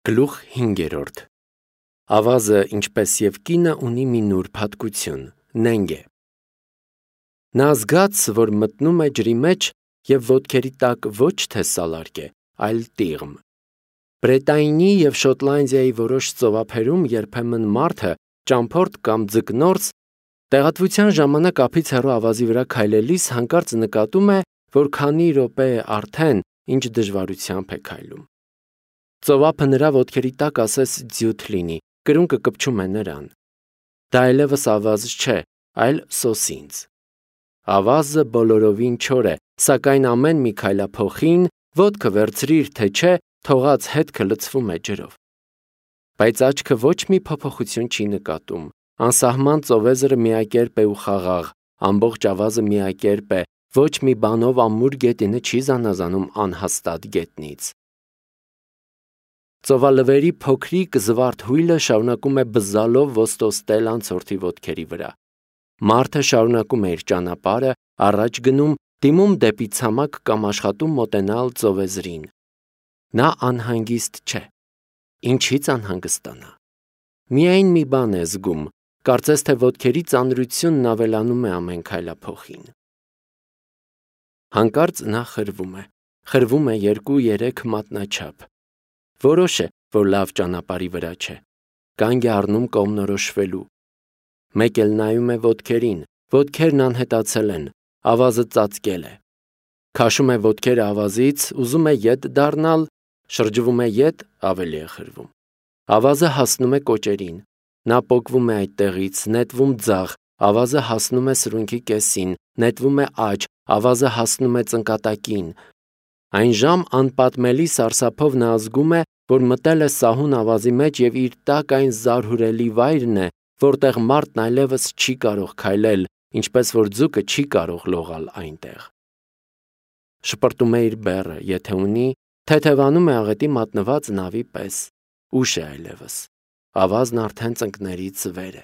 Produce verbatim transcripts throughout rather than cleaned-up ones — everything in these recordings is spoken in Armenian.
Գլուխ հինգերորդ Ավազը, ինչպես և կինը, ունի մի նուրբ հատկություն՝ նենգ է։ Նա զգաց, որ մտնում է ջրի մեջ և ոտքերի տակ ոչ թե սալարկ է, այլ տիղմ։ Բրետայնի և Շոտլանդիայի որոշ ծովափերում երբեմն մարդը, ճամփորդ կամ ձկնորս, տեղատվության ժամանակ ափից հեռու ավազի վրա քայլելիս հանկարծ նկատում է, որ քանի րոպե է արդեն, ինչ դժվարությամբ է քայլում։ Ծովափը նրա ոտքերի տակ ասես ձիութ լինի, կրունկը կպչում է նրան։ Դա այլևս ավազ չէ, այլ սոսինձ։ Ավազը բոլորովին չոր է, սակայն ամեն մի քայլափոխին, ոտքը վերցրիր, թե չէ, թողած հետքը լցվում է ջրով։ Բայց աչքը ոչ մի փոփոխություն չի նկատում։ Անսահման ծովեզրը միակերպ է ու խաղաղ, ամբողջ ավազը միակերպ է, ոչ մի բանով ամուր գետինը չի զանազանում անհաստատ գետնից։ Ծովալվերի փոքրիկ զվարթ հույլը շարունակում է բզզալով ոստոստել անցորդի ոտքերի վրա։ Մարդը շարունակում է իր ճանապարհը, առաջ գնում, դիմում դեպի ցամաք կամ աշխատում մոտենալ ծովեզրին։ Նա անհանգիստ չէ։ Ինչի՞ց անհանգստանա։ Միայն մի բան է զգում, կարծես թե ոտքերի ծանրությունն ավելանում է ամեն քայլափոխին։ Հանկարծ նա խրվում է։ Խրվում է երկու-երեք մատնաչափ։ Որոշ է, որ լավ ճանապարհի վրա չէ։ Կանգ է առնում կողմնորոշվելու։ Մեկ էլ նայում է ոտքերին, ոտքերն անհետացել են, ավազը ծածկել է։ Քաշում է ոտքերը ավազից, ուզում է ետ դառնալ, շրջվում է ետ, ավելի է խրվում։ Ավազը հասնում է կոճերին։ Նա պոկվում է այդտեղից, նետվում ձախ, ավազը հասնում է սրունքի կեսին, նետվում է աջ, ավազը հասնում է ծնկատակին։ Այն ժամ անպատմելի սարսափով նա զգում է, որ մտել է սահուն ավազի մեջ և իր տակ այն զարհուրելի վայրն է, որտեղ մարդն այլևս չի կարող քայլել, ինչպես որ ձուկը չի կարող լողալ այնտեղ։ Շպրտում է իր բեռը, եթե ունի, թեթևանում է աղետի մատնված նավի պես։ Ուշ է այլևս։ Ավազն արդեն ծնկներից վեր է։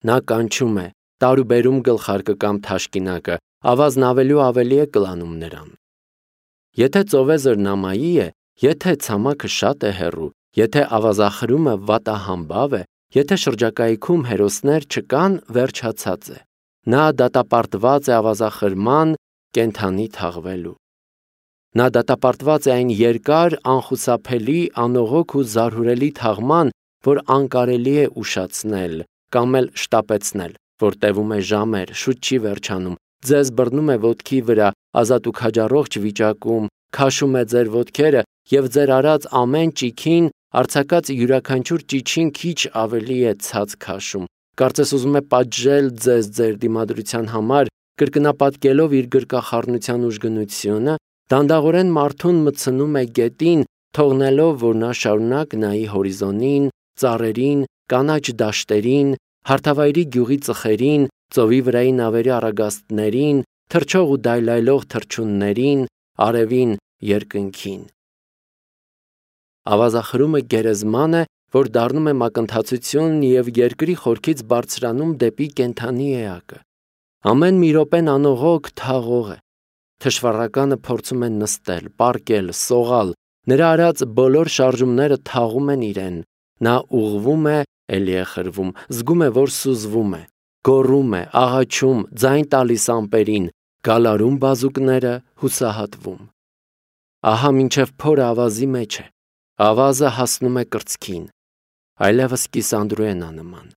Նա կանչում է, տարուբերում գլխարկը կամ թաշկինակը, ավազն ավելի ու ավելի է կլանում նրան։ Եթե ծովեզրն ամայի է, եթե ցամաքը շատ է հեռու, եթե ավազախրումը վատահամբավ է, եթե շրջակայքում հերոսներ չկան, վերջացած է։ Նա դատապարտված է ավազախրման, կենդանի թաղվելու։ Նա դատապարտված է այն երկար, անխուսափելի, անողոք ու զարհուրելի թաղման, որ անկարելի է ուշացնել կամ էլ շտապեցնել, որ տևում է ժամեր, շուտ չի վերջանում, ձեզ բռնում է ոտքի վրա, ազատ ու քաջառողջ վիճակում, քաշում է ձեր ոտքերը և ձեր արած ամեն ճիգին, արձակած յուրաքանչյուր ճիչին քիչ ավելի է ցած քաշում, կարծես ուզում է պատժել ձեզ ձեր դիմադրության համար, կրկնապատկելով իր գրկախառնության ուժգնությունը, դանդաղորեն մարդուն մտցնում է գետին, թողնելով, որ նա շարունակ նայի հորիզոնին, ծառերին, կանաչ դաշտերին, հարթավայրի գյուղի ծխերին, ծովի վրայի նավերի առագաստներին, թռչող ու դայլայլող թռչուններին, արևին, երկնքին։ Ավազախրումը գերեզման է, որ դառնում է մակընթացություն և երկրի խորքից բարձրանում դեպի կենդանի էակը։ Ամեն մի րոպեն անողոք թաղող է։ Թշվառականը փորձում է նստել, պառկել, սողալ, նրա արած բոլոր շարժումները թաղում են իրեն։ Նա ուղղվում է, էլի է խրվում, զգում է, որ սուզվում է, գոռում է, աղաչում, ձայն տալիս ամպերին, գալարում բազուկները, հուսահատվում։ Ահա մինչև փորը ավազի մեջ է։ Ավազը հասնում է կրծքին։ Այլևս կիսանդրու է նա նման։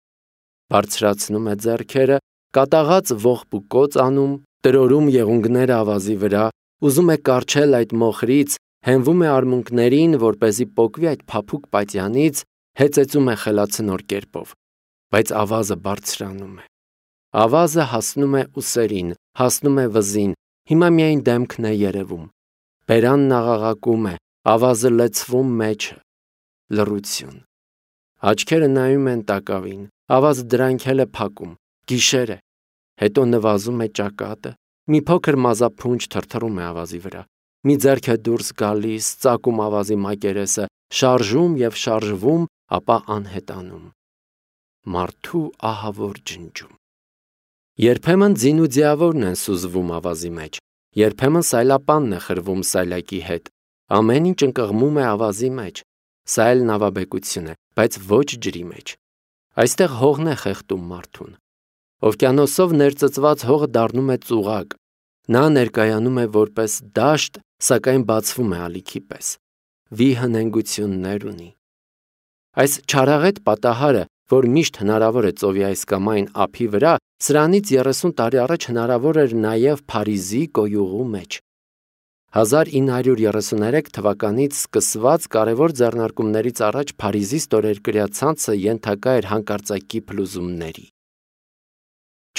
Բարձրացնում է ձեռքերը, կատաղած ողբ ու կոծ անում, տրորում եղունգները ավազի վրա, ուզում է կառչել այդ մոխրից, հենվում է արմունկներին, որպեսզի պոկվի այդ փափուկ պատյանից, հեծեծում է խելացնոր կերպով։ Բայց ավազը բարձրանում է։ Ավազը հասնում է ուսերին, հասնում է վզին, հիմա միայն դեմքն է երևում։ Բերանն աղաղակում է, ավազը լցվում մեջը։ Լռություն։ Աչքերը նայում են տակավին, ավազը դրանքել է փակում, գիշեր է։ Հետո նվազում է ճակատը, մի փոքր մազափունջ թրթռում է ավազի վրա, մի ձեռք է դուրս գալիս, ծակում ավազի մակերեսը, շարժում և շարժվում, ապա անհետանում։ Մարդու ահավոր ջնջում։ Երբեմն ձին ու ձիավորն են սուզվում ավազի մեջ, երբեմն սայլապանն է խրվում սայլակի հետ, Ամեն ինչ ընկղմում է ավազի մեջ, սա էլ նավաբեկություն է, բայց ոչ ջրի մեջ։ Այստեղ հողն է խեղդում մարդուն։ Օվկիանոսով ներծծված հողը դառնում է ծուղակ, նա ներկայանում է որպես դաշտ, սակայն բացվում է ալիքի պես, վիհնենգություններ ունի։ Այս չարաղետ պատահարը, որ միշտ հնարավոր է ծովի այս կամ այն ափի վրա, սրանից երեսուն տարի առաջ հնարավոր էր նաև Փարիզի կոյուղու մեջ։ հազար ինը հարյուր երեսուներեք թվականից սկսված կարևոր ձեռնարկումներից առաջ Փարիզի ստորերկրյա ցանցը ենթակա էր հանկարծակի փլուզումների։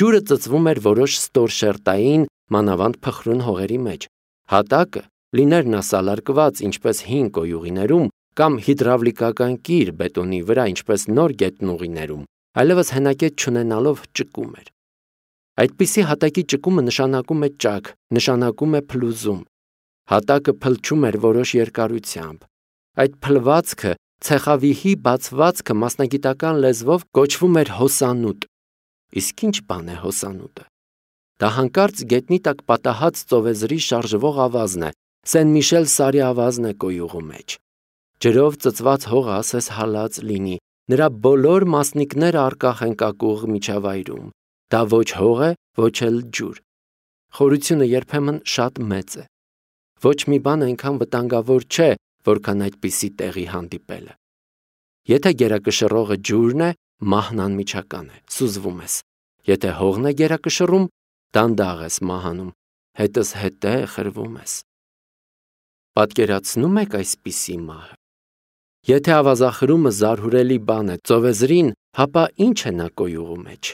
Ջուրը ծծվում էր որոշ ստորշերտային, մանավանդ փխրուն հողերի մեջ։ Հատակը լիներ նա սալարկված, ինչպես հին կոյուղիներում, կամ հիդրավլիկական կիր բետոնի վրա, ինչպես նոր գետնուղիներում, այլևս հենակետ չունենալով ճկում էր։ Այդպիսի հատակի ճկումը նշանակում է ճաք, նշանակում է փլուզում։ Հատակը փլչում էր որոշ երկարությամբ։ Այդ փլվածքը, ցեխավիհի բացվածքը մասնագիտական լեզվով կոչվում էր հոսանուտ։ Իսկ ինչ բան է հոսանուտը։ Դա հանկարծ գետնի տակ պատահած ծովեզրի շարժվող ավազն է, Սեն-Միշել Սարի ավազն է կոյուղու մեջ։ Ջրով ծծված հողը ասես հալած լինի, նրա բոլոր մասնիկները առկախ են կակուղ միջավայրում։ Դա ոչ հող է, ոչ էլ ջուր։ Խորությունը երբեմն շատ մեծ է։ Ոչ մի բան այնքան վտանգավոր չէ, որքան այդպիսի տեղի հանդիպելը։ Եթե գերակշռողը ջուրն է, մահն անմիջական է, սուզվում ես։ Եթե հողն է գերակշռում, դանդաղ ես մահանում, հետս հետե խրվում ես։ Պատկերացնու՞մ եք այսպիսի մահը։ Եթե ավազախրումը զարհուրելի բան է ծովեզրին, հապա ինչ է նա կոյուղու մեջ։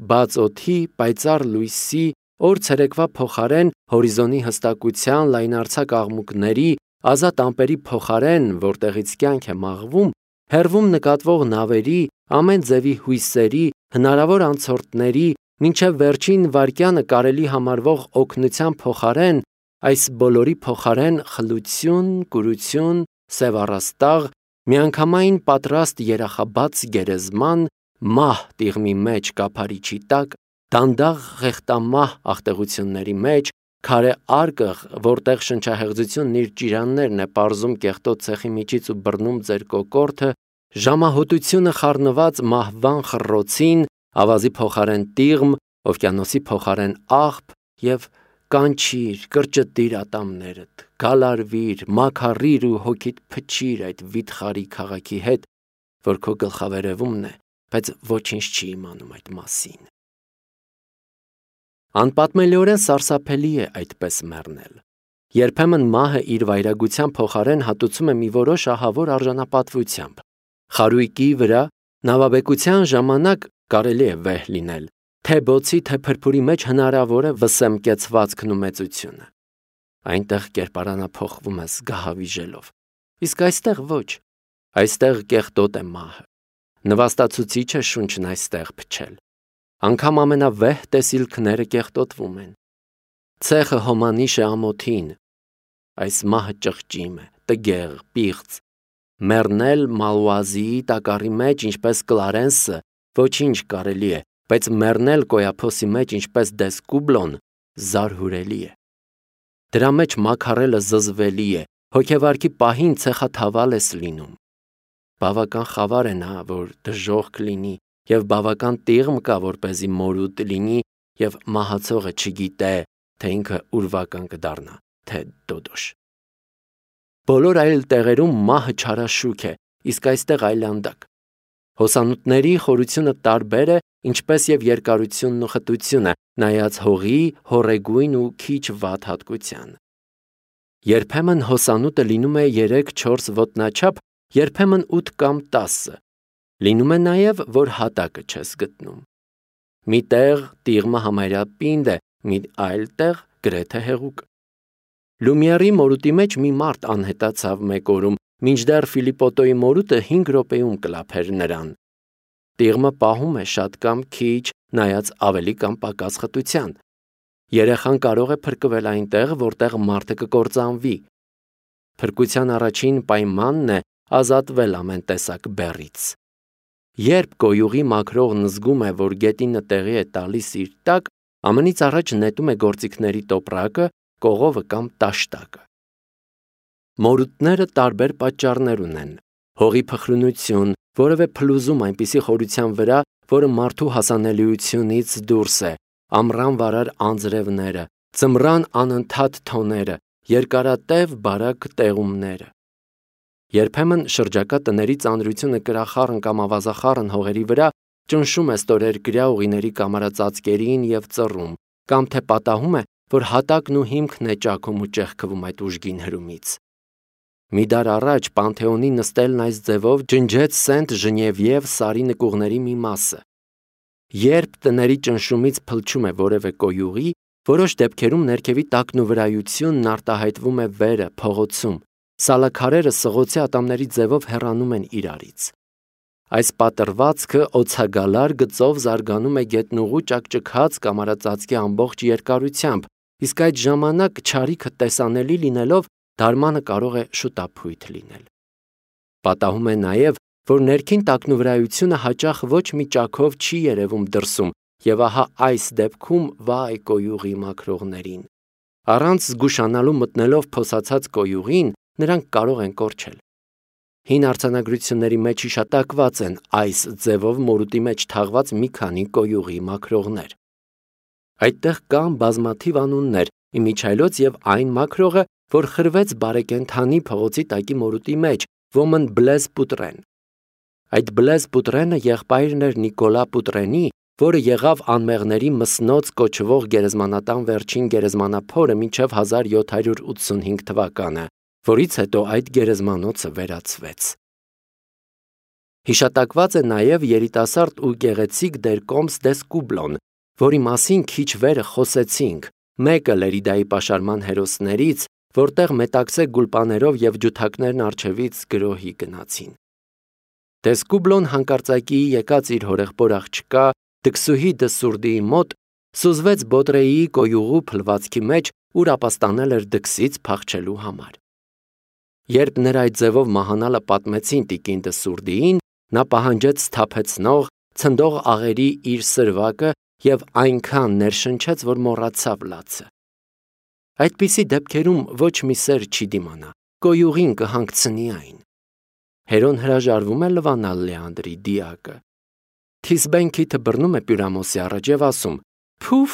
Բաց օդի, պայծառ լույսի, օր ցերեկվա փոխարեն հորիզոնի հստակության, լայնարձակ աղմուկների, ազատ ամպերի փոխարեն, որտեղից կյանք է մաղվում, հեռվում նկատվող նավերի, ամեն ձևի հույսերի, հնարավոր անցորդների, մինչև վերջին վայրկյանը կարելի համարվող օգնության փոխարեն, այս բոլորի փոխարեն խլություն, կուրություն, սև առաստաղ, միանգամայն պատրաստ երախաբաց գերեզման, մահ տիղմի մեջ կափարիչի տակ, դանդաղ խեղտամահ աղտեղությունների մեջ, քարե արկղ, որտեղ շնչահեղձությունն իր ճիրաններն է պարզում կեղտոտ ցեխի միջից ու բռնում ձեր կոկորդը, ժամահոտությունը խառնված մահվան խռոցին, ավազի փոխարեն տիղմ, օվկիանոսի փոխարեն աղբ և կանչիր, կրճտիր ատամներդ, գալարվիր, մաքարիր ու հոգիդ փչիր այդ վիթխարի քաղաքի հետ, որ քո գլխավերևումն է, բայց ոչինչ չի իմանում այդ մասին։ Անպատմելիորեն սարսափելի է այդպես մեռնել։ Երբեմն մահը իր վայրագության փոխարեն հատուցում է մի որոշ ահավոր արժանապատվությամբ։ Խարույկի վրա նավաբեկության ժամանակ կարելի է վեհ լինել, թե բոցի, թե փրփուրի մեջ հնարավոր է վսեմկեցվածքն ու մեծությունը։ Այնտեղ կերպարանափոխվում ես գահավիժելով։ Իսկ այստեղ ոչ։ Այստեղ կեղտոտ է մահը։ Նվաստացուցիչ է շունչն այստեղ փչել։ Անգամ ամենավեհ տեսիլքները կեղտոտվում են։ Ցեխը հոմանիշ է ամոթին։ Այս մահը ճղճիմ է, տգեղ, պիղծ։ Մեռնել Մալուազիի տակառի մեջ, ինչպես Կլարենսը, ոչինչ կարելի է, բայց մեռնել Կոյափոսի մեջ, ինչպես Դեսկուբլոն, զարհուրելի է։ Դրա մեջ մաքարելը զզվելի է, հոգևարքի պահին ցեխաթավալ ես լինում։ Բավական խավար է նա, որ դժոխք լինի, և բավական տիղմ կա, որպեսզի մորուտ լինի, և մահացողը չգիտե, թե ինքը ուրվական կդառնա, թե դոդոշ։ Բոլոր այլ տեղերում մահը չարաշուք է, իսկ այստեղ այլանդակ։ Հոսանուտների խորությունը տարբեր է, ինչպես և երկարությունն ու խտությունը, նայած հողի, հոռեգույն ու քիչ վատ հատկության։ Երբեմն հոսանուտը լինում է երեք-չորս ոտնաչափ, երբեմն ութ կամ տասը։ Լինում է նաև, որ հատակը չես գտնում։ Մի տեղ տիղմը համարյա պինդ է, մի այլ տեղ գրեթե հեղուկ։ Լումիերի մորուտի մեջ մի մարդ անհետացավ մեկ օրում, մինչդեռ Ֆիլիպոտոյի մորուտը հինգ րոպեում կլափեր նրան։ Տիղմը պահում է շատ կամ քիչ, նայած ավելի կամ պակաս խտության։ Երեխան կարող է փրկվել այնտեղ, որտեղ մարդը կկործանվի։ Փրկության առաջին պայմանն է ազատվել ամեն տեսակ բեռից։ Երբ կոյուղի մաքրողն զգում է, որ գետինը տեղի է տալիս իր տակ, ամենից առաջ նետում է գործիքների տոպրակը, կողովը կամ տաշտակը։ Մորութները տարբեր պատճառներ ունեն. հողի փխրունություն, որևէ փլուզում այնպիսի խորության վրա, որը մարդու հասանելիությունից դուրս է, ամռան վարար անձրևները, ձմռան անընդհատ թոները, երկարատև բարակ տեղումները։ Երբեմն շրջակա տների ծանրությունը կրախառն կամ ավազախառն հողերի վրա ճնշում է ստորերկրյա ուղիների կամարածածկերին և ծռում, կամ թե պատահում է, որ հատակն ու հիմքն է ճաքում ու ճեղքվում այդ ուժգին հրումից։ Մի դար առաջ Պանթեոնի նստելն այս ձևով ջնջեց Սենտ Ժնևիև սարի նկուղների մի մասը։ Երբ տների ճնշումից փլչում է որևէ կոյուղի, որոշ դեպքերում ներքևի տակնուվրայությունն արտահայտվում է վերը, փողոցում, սալաքարերը սղոցի ատամների ձևով հեռանում են իրարից։ Այս պատրվածքը օձագալար գծով զարգանում է գետնուղու ճաքճքած կամարածածկի ամբողջ երկարությամբ, իսկ այդ ժամանակ չարիքը տեսանելի լինելով դարմանը կարող է շուտափույթ լինել։ Պատահում է նաև, որ ներքին տակնուվրայությունը հաճախ ոչ մի ճաքով չի երևում դրսում, և ահա այս դեպքում վայ կոյուղի մաքրողներին։ Առանց զգուշանալու մտնելով փոսացած կոյուղին, նրանք կարող են կորչել։ Հին արձանագրությունների մեջ հիշատակված են այս ձևով մորուտի մեջ թաղված մի քանի կոյուղի մաքրողներ։ Այդտեղ կան բազմաթիվ անուններ, իմիջիայլոց և այն մաքրողը, որ խրվեց բարեկենդանի փողոցի տակի մորուտի մեջ, ոմն Բլեզ Պուտրեն։ Այդ Բլեզ Պուտրենը եղբայրն էր Նիկոլա Պուտրենի, որը եղավ անմեղների մսնոց կոչվող գերեզմանատան վերջին գերեզմանափորը մինչև հազար յոթ հարյուր ութսունհինգ թվականը, որից հետո այդ գերեզմանոցը վերացվեց։ Հիշատակված է նաև երիտասարդ ու գեղեցիկ Դերկոմս Դեսկուբլոն, որի մասին քիչ վերը խոսեցինք, մեկը Լերիդայի պաշարման հերոսներից, որտեղ մետաքսե գուլպաներով և ջութակներն առջևից գրոհի գնացին։ Դեսկուբլոն հանկարծակիի եկած իր հորեղբոր աղջկա Դքսուհի Դսուրդիի մոտ սուզվեց Բոտրեիի կոյուղու փլվածքի մեջ, ուր ապաստանել էր Դքսից փախչելու համար։ Երբ նրա այդ ձևով մահանալը պատմեցին տիկին Դսուրդիին, նա պահանջեց սթափեցնող, ցնդող աղերի իր սրվակը և այնքան ներշնչեց, որ մոռացավ լացը։ Այդպիսի դեպքերում ոչ մի սեր չի դիմանա, կոյուղին կհանգցնի այն։ Հերոն հրաժարվում է լվանալ Լեանդրի դիակը։ Թիսբեն քիթը բռնում է Պյուրամոսի առաջ և ասում. «Փուֆ,